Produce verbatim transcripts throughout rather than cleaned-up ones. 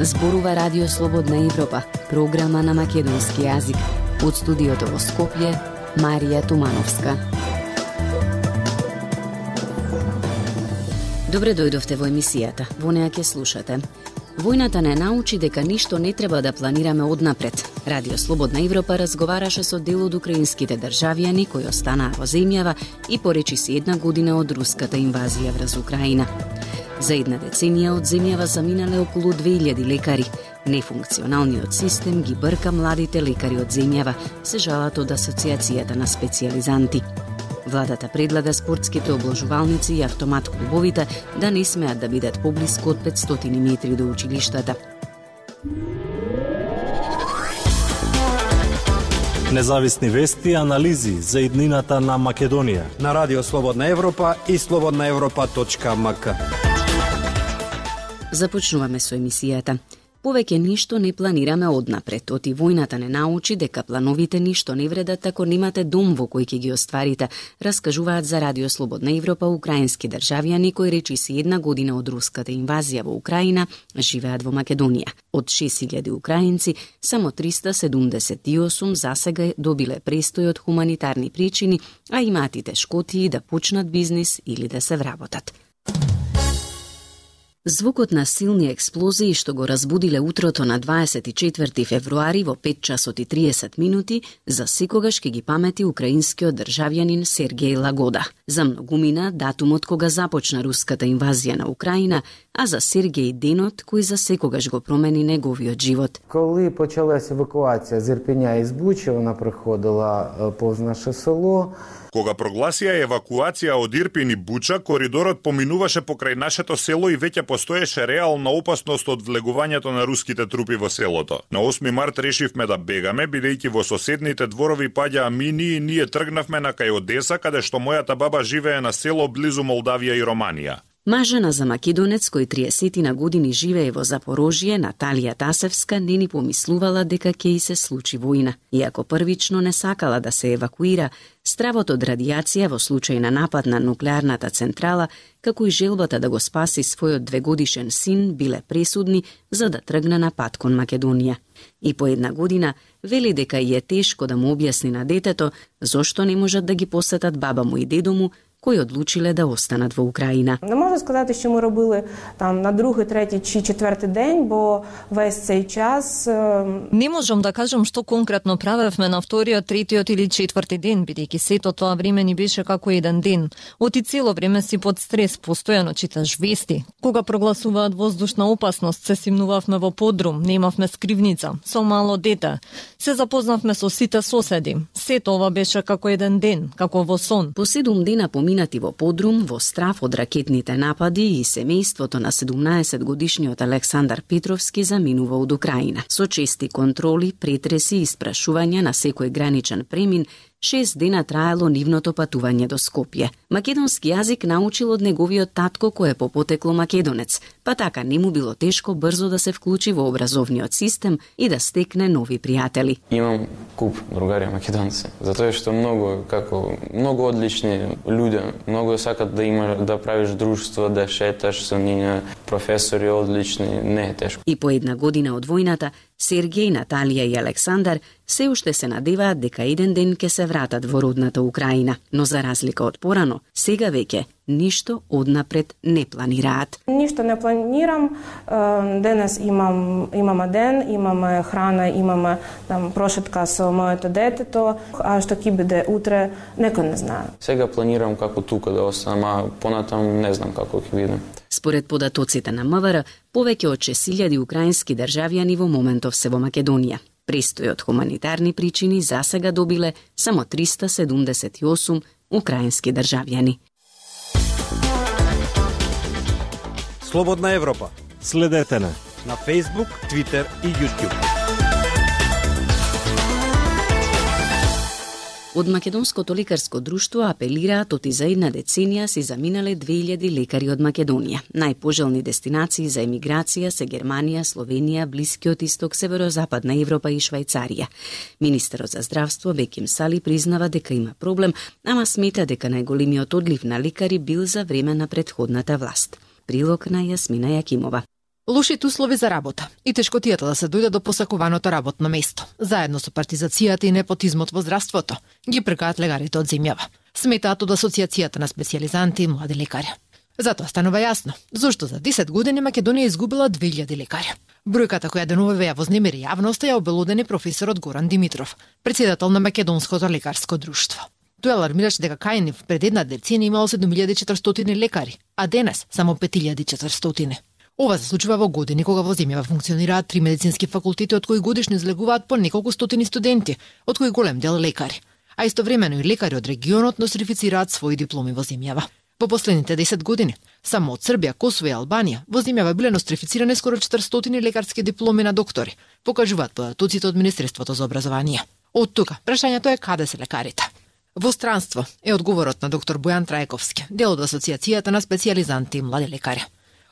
Зборува Радио Слободна Европа, програма на македонски јазик. Од студиото во Скопје, Марија Тумановска. Добре дојдовте во емисијата. Во неа ќе слушате. Војната не научи дека ништо не треба да планираме однапред. Радио Слободна Европа разговараше со дел од украинските државјани кои останаа во земјава и поречи се една година од руската инвазија врз Украина. За една деценија од земјава заминале околу две илјади лекари. Нефункционалниот систем ги брка младите лекари од земјава, се жалат од Асоциацијата на специјализанти. Владата предлага спортските обложувалници и автомат клубовите да не смеат да бидат поблиску од петстотини метри до училиштата. Независни вести и анализи за иднината на Македонија на Радио Слободна Европа и слободна европа точка ем ка. Започнуваме со емисијата. Повеќе ништо не планираме однапред. Оти војната не научи дека плановите ништо не вредат ако немате дом во кој ќе ги остварите, раскажуваат за Радио Слободна Европа украински државјани кои речиси една година од руската инвазија во Украина живеат во Македонија. Од шест илјади украинци, само триста седумдесет и осум засега добиле престој од хуманитарни причини, а имаат и тешкотии да почнат бизнис или да се вработат. Звукот на силни експлозии што го разбудиле утрото на дваесет и четврти февруари во пет часот и триесет минути за секогаш ќе ги памети украинскиот државјанин Сергеј Лагода. За многумина датумот кога започна руската инвазија на Украина, а за Сергеј денот кој за секогаш го промени неговиот живот. Коли почалась евакуација з Ірпеня і з Бучі, вона приходила повз наше село. Кога прогласија евакуација од Ирпин и Буча, коридорот поминуваше покрај нашето село и веќе постоеше реална опасност од влегувањето на руските трупи во селото. На осми март решивме да бегаме, бидејќи во соседните дворови паѓаа мини и ние тргнавме на кај Одеса, каде што мојата баба живее на село близу Молдавија и Романија. Мажена за македонец кој триесет години живее во Запорожје, Наталија Тасевска не ни помислувала дека ќе и се случи војна. Иако првично не сакала да се евакуира, стравот од радијација во случај на напад на нуклеарната централа, како и желбата да го спаси својот двегодишен син, биле пресудни за да тргне на пат кон Македонија. И по една година вели дека и е тешко да му објасни на детето зошто не можат да ги посетат баба му и дедо му, кои одлучиле да останат во Украина. Не можу сказати, що ми робили там на другий, третій чи четвертий день, бо весь цей час... Не можам да кажам што конкретно правевме на вториот, третиот или четврти ден, бидејќи сето тоа време ни беше како еден ден. Оти цело време си под стрес, постојано читаш вести. Кога прогласуваат воздушна опасност, се симнувавме во подрум, немавме скривница, со мало дете. Се запознавме со сите соседи. Сето ова беше како еден ден, како во сон. По седум дена поминати во подрум, во страф од ракетните напади и семејството на седумнаесет годишниот Александар Петровски заминува од Украина. Со чести контроли, претреси и испрашувања на секој граничен премин, шест дена траело нивното патување до Скопје. Македонски јазик научил од неговиот татко кој е по потекло македонец, па така не му било тешко брзо да се вклучи во образовниот систем и да стекне нови пријатели. Имам куп другари македонци, затоа што многу како многу одлични луѓе, многу сакат да има да правиш друштво, да шеташ со нив, професори одлични, не е тешко. И по една година од војната Сергеј, Наталија и Александар се уште се надеваат дека еден ден ќе се вратат во родната Украина, но за разлика од порано, сега веќе ништо однапред не планираат. Ништо не планирам. Денес имам имаме ден, имаме храна, имаме там прошетка со моето детето, а што ќе биде утре, некој не знае. Сега планирам како тука да останам, а понатам не знам како ќе биде. Според податоците на МВР, повеќе од шест илјади украински државјани во моментов се во Македонија. Престој од хуманитарни причини засега добиле само триста седумдесет и осум украински државјани. Слободна Европа. Следете на на Facebook, Twitter и YouTube. Од Македонското лекарско друштво апелираат оти за една деценија си заминале две илјади лекари од Македонија. Најпожелни дестинации за емиграција се Германија, Словенија, Блискиот исток, Северозападна Европа и Швајцарија. Министерот за здравство Беким Сали признава дека има проблем, ама смета дека најголемиот одлив на лекари бил за време на претходната власт. Прилог на Јасмина Јакимова. Лошите услови за работа и тешкотијата да се дојде до посакуваното работно место, заедно со партизацијата и непотизмот во здравството, ги прекаат лекарите од земјава. Сметаат од Асоциацијата на специјализанти и млади лекари. Затоа станува јасно зошто за десет години Македонија изгубила две илјади лекари. Бројката која деновиве ја вознемири јавноста ја обелодени професорот Горан Димитров, председател на Македонското лекарско друштво. Тој алармираше дека кај нив пред една деценија имало седум илјади и четиристотини лекари, а денес само пет илјади и четиристотини. Ова се случува во години кога во земјава функционираат три медицински факултети, од кои годишно излегуваат по неколку стотини студенти, од кои голем дел лекари. А истовремено и лекари од регионот носифицираат своји дипломи во земјава. Во последните десет години, само од Србија, Косово и Албанија, во земјава биле нострифицирани скоро четиристотини лекарски дипломи на доктори, покажуваат податоците од Министерството за образование. Од тука, прашањето е каде се лекарите? Во странство е одговорот на доктор Бојан Трајковски, дел од Асоциацијата на специјализанти и млади лекари.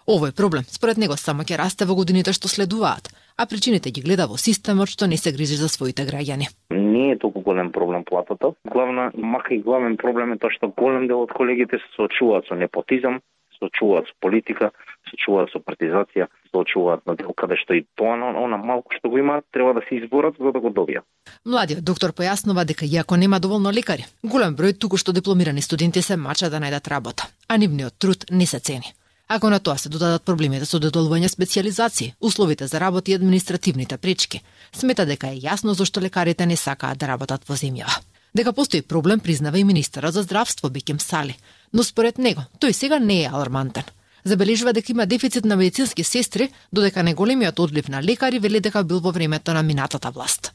Овој проблем, според него, само ќе расте во годините што следуваат, а причините ги гледа во системот што не се грижи за своите граѓани. Не е толку голем проблем платата. Главна, мака и главен проблем е тоа што голем дел од колегите се соочуваат со непотизам, се соочуваат со политика, се соочуваат со партизација, се соочуваат на дел каде што и тоа, она малку што го имаат, треба да се изборат за да го добијат. Младиот доктор појаснува дека иако нема доволно лекари, голем број туку што дипломирани студенти се мачат да најдат работа, а нивниот труд не се цени. Ако на тоа се додадат проблемите со доделување специјализации, условите за работа и административните пречки, смета дека е јасно зашто лекарите не сакаат да работат во земјава. Дека постои проблем признава и министерот за здравство Беким Сали, но според него тој сега не е алармантен. Забележува дека има дефицит на медицински сестри, додека неголемиот одлив на лекари вели дека бил во времето на минатата власт.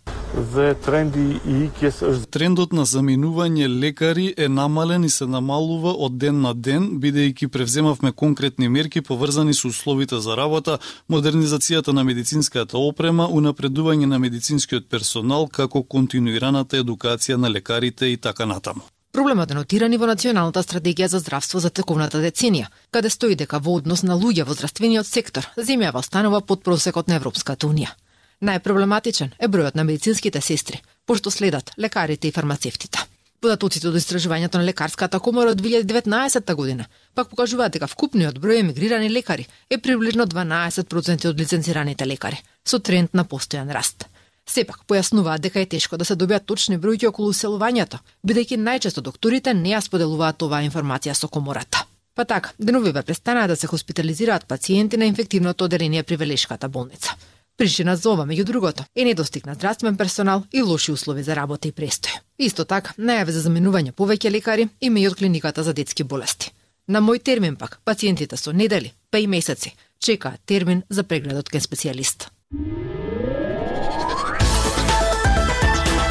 Трендот на заминување лекари е намален и се намалува од ден на ден, бидејќи превземавме конкретни мерки поврзани со условите за работа, модернизацијата на медицинската опрема, унапредување на медицинскиот персонал, како континуираната едукација на лекарите и така натаму. Проблемот е нотиран и во Националната стратегија за здравство за тековната деценија, каде стои дека во однос на луѓе во здравствениот сектор, земјава останува под просекот на Европската унија. Најпроблематичен е бројот на медицинските сестри, пошто следат лекарите и фармацевтите. Податоците од истражувањето на лекарската комора од две илјади и деветнаесетта година пак покажуваат дека вкупниот број емигрирани лекари е приближно дванаесет проценти од лиценцираните лекари, со тренд на постојан раст. Сепак појаснуваат дека е тешко да се добијат точни бројки околу уселувањето, бидејќи најчесто докторите не ја споделуваат оваа информација со комората. Па така, деновиве престанаа да се хоспитализираат пациенти на инфективното оделение при Велешката болница. Причина за ова, меѓу другото, е недостиг на здравствен персонал и лоши услови за работа и престој. Исто така, најави за заменување повеќе лекари има и од клиниката за детски болести. На мој термин пак, пациентите со недели, па и месеци, чекаат термин за прегледот кај специјалист.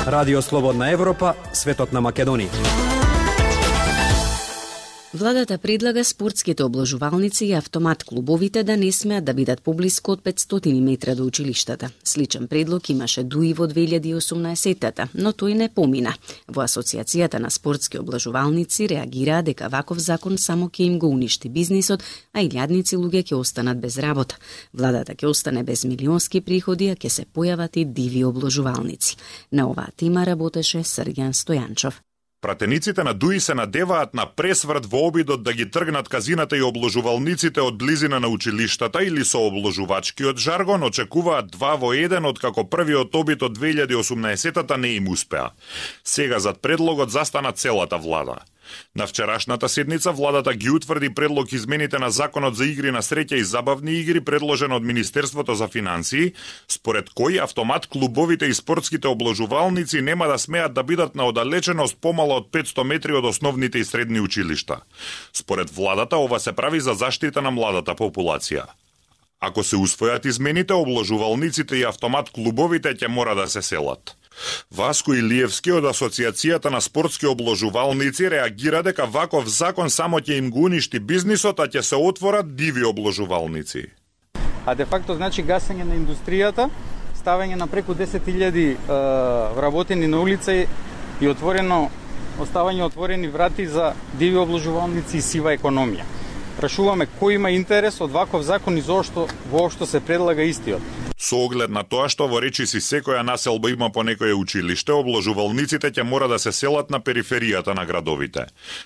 Радио Слободна Европа, светот на Македонија. Владата предлага спортските обложувалници и автомат клубовите да не смеат да бидат поблиску од петстотини метра до училиштата. Сличен предлог имаше дуи во две илјади и осумнаесетта, но тој не помина. Во Асоциацијата на спортски обложувалници реагираа дека ваков закон само ќе им го уништи бизнисот, а илјадници луѓе ќе останат без работа. Владата ќе остане без милионски приходи, а ќе се појават и диви обложувалници. На оваа тема работеше Срѓан Стојанчов. Пратениците на ДУИ се надеваат на пресврт во обидот да ги тргнат казината и обложувалниците од близина на училиштата или со обложувачкиот жаргон очекуваат два во еден, откако првиот обид од две илјади и осумнаесетта не им успеа. Сега зад предлогот застана целата влада. На вчерашната седница владата ги утврди предлог измените на Законот за игри на среќа и забавни игри предложен од Министерството за финансии, според кој автомат клубовите и спортските обложувалници нема да смеат да бидат на оддалеченост помало од петсто метри од основните и средни училишта. Според владата ова се прави за заштита на младата популација. Ако се усвојат измените, обложувалниците и автомат клубовите ќе мора да се селат. Васко Илиевски од Асоциацијата на спортски обложувалници реагира дека ваков закон само ќе им го уништи бизнисот, а ќе се отворат диви обложувалници. А де факто значи гасење на индустријата, ставање на преку десет илјади вработени на улица и отворено оставање отворени врати за диви обложувалници и сива економија. Прашуваме кој има интерес од ваков закон и зошто воопшто се предлага истиот. Со оглед на тоа што во речиси секоја населба има по некое училиште, обложувалниците ќе мора да се селат на периферијата на градовите.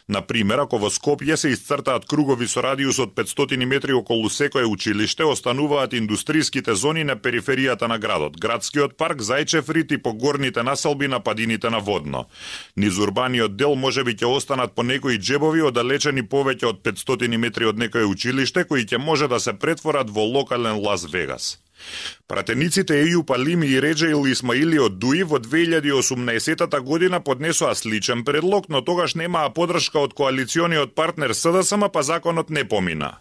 На пример, ако во Скопје се исцртаат кругови со радиус од петстотини метри околу секое училиште, остануваат индустриските зони на периферијата на градот, градскиот парк, Зајчев рид и по горните населби на падините на Водно. Низ урбаниот дел можеби ќе останат по некои џебови оддалечени повеќе од петстотини метри од некое училиште, кои ќе може да се претворат во локален Лас Вегас. Пратениците Ејуп Алими и Реджеил Исмаили од Дуи во две илјади и осумнаесетта година поднесоа сличен предлог, но тогаш немаа поддршка од коалициониот партнер СДСМ, па законот не помина.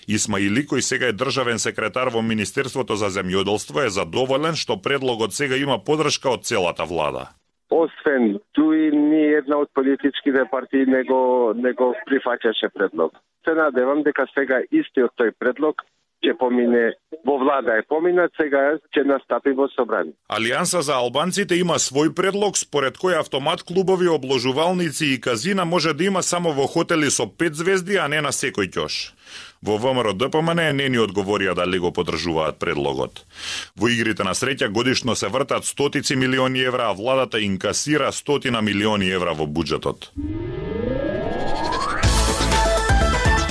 Исмаили, кој сега е државен секретар во Министерството за земјоделство, е задоволен што предлогот сега има поддршка од целата влада. Освен Дуи, ни една од политичките партии не го, не го прифаќаше предлог. Се надевам дека сега истиот тој предлог ќе помине во влада е поминат, сега ќе настапи во собрание. Алијанса за албанците има свој предлог според кој автомат клубови, обложувалници и казина може да има само во хотели со пет звезди, а не на секој ќош. Во ВМРО-ДПМН не ни одговорија дали го поддржуваат предлогот. Во игрите на среќа годишно се вртат стотици милиони евра, а владата инкасира стотина милиони евра во буџетот.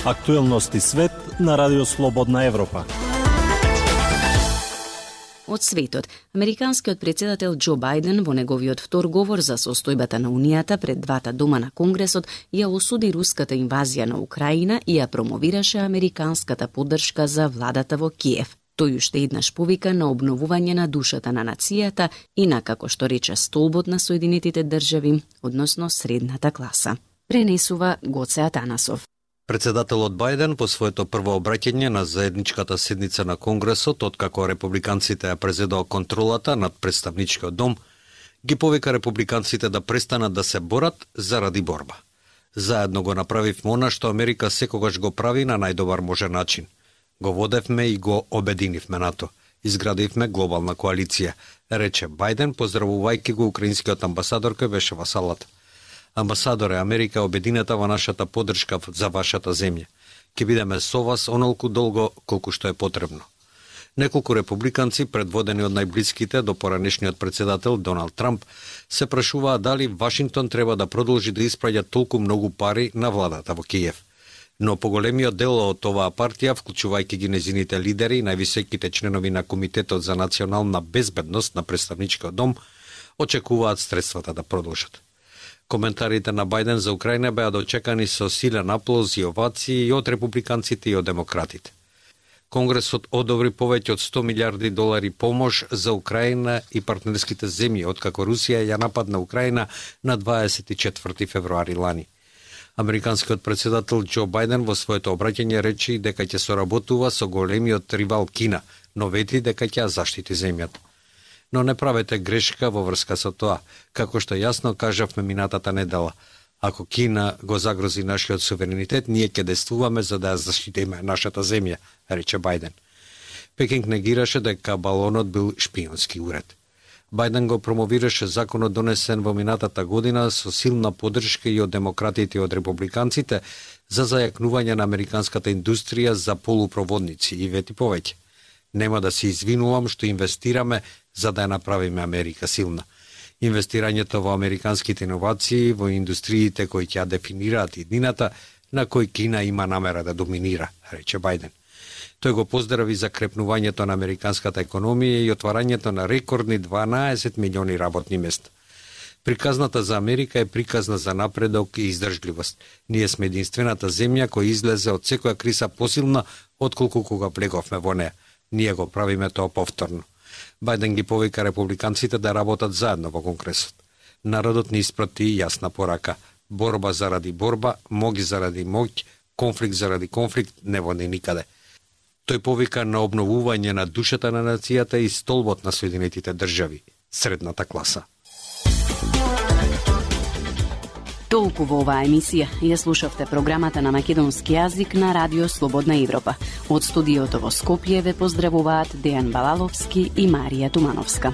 Актуелности свет на Радио Слободна Европа. Од светот, американскиот претседател Џо Бајден во неговиот втор говор за состојбата на Унијата пред двата дома на Конгресот ја осуди руската инвазија на Украина и ја промовираше американската поддршка за владата во Киев. Тој уште еднаш повика на обновување на душата на нацијата и на, како што рече, столбот на Соединетите држави, односно средната класа. Пренесува Гоце Атанасов. Председателот Бајден по своето прво обраќање на заедничката седница на Конгресот, откако републиканците ја презедоа контролата над представничкиот дом, ги повика републиканците да престанат да се борат заради борба. Заедно го направивме она што Америка секогаш го прави на најдобар можен начин. Го водевме и го обединивме НАТО. Изградивме глобална коалиција, рече Бајден, поздравувајќи го украинскиот амбасадор кој беше во салата. Амбасадоре, Америка е обединета во нашата поддршка за вашата земја. Ке бидеме со вас онолку долго колку што е потребно. Неколку републиканци, предводени од најблиските до поранешниот председател Доналд Трамп, се прашуваа дали Вашингтон треба да продолжи да испраќа толку многу пари на владата во Киев. Но поголемиот дел од оваа партија, вклучувајќи ги незините лидери и највисоките членови на Комитетот за национална безбедност на представничкиот дом, очекуваат средствата да продолжат. Коментарите на Бајден за Украина беа дочекани со силен аплоз и овации и од републиканците и од демократите. Конгресот одобри повеќе од сто милиарди долари помош за Украина и партнерските земји, откако Русија ја нападна Украина на дваесет и четврти февруари лани. Американскиот председател Џо Бајден во своето обраќање рече дека ќе соработува со големиот ривал Кина, но вети дека ќе ја заштити земјата. Но не правете грешка во врска со тоа, како што јасно кажавме минатата недела. Ако Кина го загрози нашиот суверенитет, ние ќе действуваме за да ја заштитиме нашата земја, рече Бајден. Пекинг негираше дека балонот бил шпионски уред. Бајден го промовираше законот донесен во минатата година со силна поддршка и од демократите и од републиканците за зајакнување на американската индустрија за полупроводници и вети повеќе. Нема да се извинувам што инвестираме за да ја направиме Америка силна. Инвестирањето во американските иновации, во индустриите кои ќе ја дефинираат иднината, на кој Кина има намера да доминира, рече Бајден. Тој го поздрави за крепнувањето на американската економија и отварањето на рекордни дванаесет милиони работни места. Приказната за Америка е приказна за напредок и издржливост. Ние сме единствената земја која излезе од секоја криза посилна отколку кога влеговме во неа. Ние го правиме тоа повторно. Бајден ги повика републиканците да работат заедно во Конгресот. Народот ни испрати јасна порака. Борба заради борба, моќ заради моќ, конфликт заради конфликт не води никаде. Тој повика на обновување на душата на нацијата и столбот на Соединетите држави, средната класа. Толку во оваа емисија ја слушавте програмата на македонски јазик на Радио Слободна Европа. Од студиото во Скопје ве поздравуваат Дејан Балаловски и Марија Тумановска.